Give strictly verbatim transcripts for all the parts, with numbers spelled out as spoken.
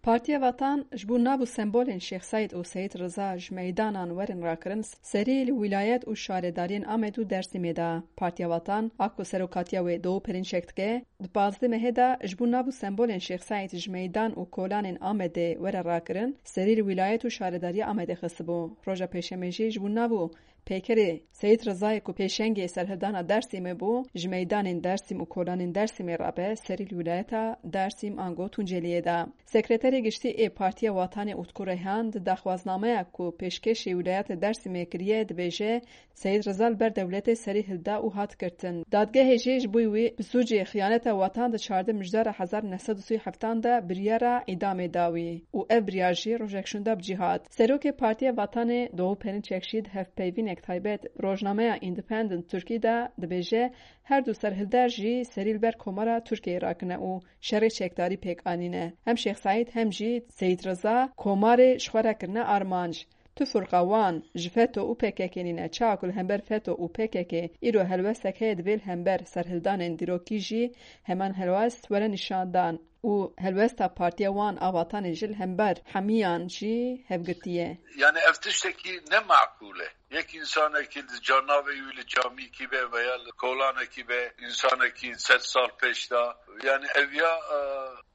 Partiya Vatan ji bo nav û sembolên Şêx Seîd û Seyîd Riza ji meydanan werin rakirin, serî li wîlayet û şaredariyên Amed û Dêrsimê de. Partiya Vatan, a ku serokatiya wê Doğu Perinçek dike, di pazdeh mehê de ji bo nav û sembolên Şêx Seîd ji meydan û kolanên Amedê were rakirin, serî li wîlayet û şaredariya Amedê xistibû. Roja Pêşemê jî ji bo nav û peykerê Seyîd Rizayê ku pêşengê serhildana Dêrsimê bû, ji meydanên Dêrsim û kolanên Dêrsimê rabe serî li wîlayeta Dêrsim ango Tunceliyê de. Sekreterê Giştî ê Partiya Watanê Utku Reyhan di daxwaznameya ku pêşkêşî wîlayeta Dêrsimê kiriye dibêje, Seyîd Riza li ber dewletê serî hilda û hat girtin. Dadgehê jî ji bo wî bi sûcê xiyaneta watan di çardeh mijdara hezar neh sed û sî û heftan de biryara îdamê da wî û ev biryar jî rojek şûnda bi cî hat. Serokê Partiya Vatanê Doğu Perinçek jî di hevpeyvînek taybet rojnameya Independent Turkey de dibêje, her du serhilder jî serî li ber Komara Tirkiyeyê rakine û şerê çekdarî pêk anîne. Hem Şêx Seîd hem jî Seyîd Riza Komarê ji xwe re kirine armanc. Tu firqa wan ji FETÖ û PKK nîne. Çawa ku li hember FETÖ û PKK îro helwestek heye, divê li hember serhildanên dîrokî jî heman helwest were nîşandan û helwesta partiya wan a Vatanê jî li hember hemiyan jî hevgirtî ye. Yani ev tiştekî ne makûl e. Yek însanekî li canavê wî li camîkî be veya li kolanekî be, însanekî sed sal pêş de, yani ev ya, e,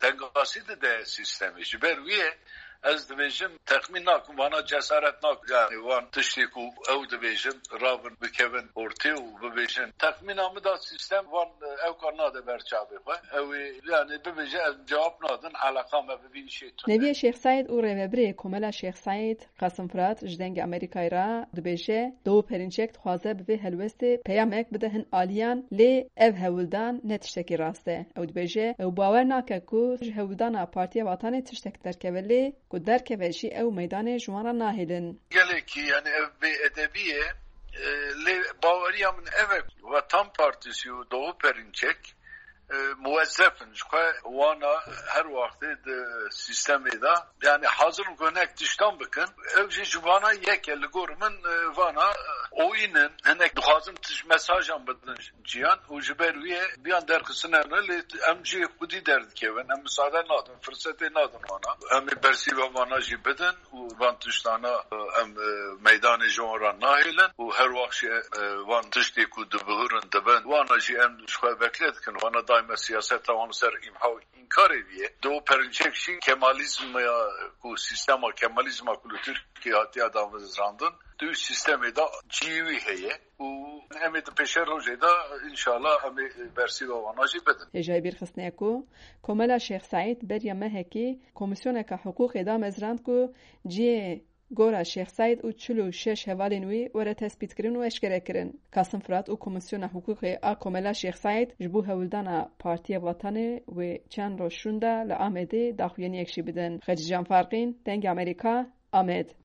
tengasî dide sîstemê. Ji ber wî ye, ez dibêjim, texmîn nakim, vana cesaret nakim. Yani wan tiştê ku ew dibêjin, rabin bikevin ortê û bibêjin. Texmîna min da sîstem wan, e, ew kar nade ber çavê xwe. Ew ê, yani bibêje, ez cewab nadim, eleqa me bi vî îşê tune. Neviyê Şêx Seîd û rêvebirê Komela Şêx Seîd, Qasim Firat, ji Dengê Amerîkayê re dibêje, Doğu Perinçek dixwaze bi vê helwestê peyamek bide hin aliyan, lê ev hewldan ne tiştekî rast e. Ew dibêje, ew bawer nake ku ji hewldana Partiya Vatanê tiştek derkeve, lê ku derkeve jî ew meydanê ji wan re nahêlin. Gelekî, yani ev bêedebî ye. E, lê baweriya min ev e ku Vatan Partisi û Doğu Perinçek, e, muwezzef in. Ji xwe wana her wextê di sîstemê de, yani hazir in ku hinek tiştan bikin. Ew jî ji vana yek e, li gor min, e, vana, e, oyîn in. Hinek dixwazin tij mesajan bidin ciyan û ji ber wî ye biyan derxistine ne, lê em jî xwedî derdikevin. Em misade nadin, firsetê nadin wana. Em ê bersîva vana jî bidin û van tiştana, e, em, e, meydanê ji wan re nahêlin û her wext jî, e, van tiştê ku dibihurin dibin, wana jî em ji xwe bekle dikin. Wana daîme siyaseta wan li ser îmha û înkarê vî ye. Doğu Perinçek jî Kemalizm ya ku sîstema Kemalizma ku li Tirkiyê hatiye damezrandin, di wî sîstemê de cihê wî heye û em ê di pêşerojê de înşallah em ê bersîva wana jî bidin. Hêjayî bîrxistinê ku Komela Şêx Seîd beriya mehekî Komîsyoneka Hiqûqê damezrand ku cihê gora Şêx Seîd û çil û şeş hevalên wî were tespîtkirin û eşkerekirin. Kasim Firat û Komîsyona Hiqûqê a Komela Şêx Seîd ji bo hewldana Partiya Vatanê wê çend roj şûnda li Amedê daxuyaniyek jî bidin. Xecîcan Farqîn, Dengê Amerîka, Amed.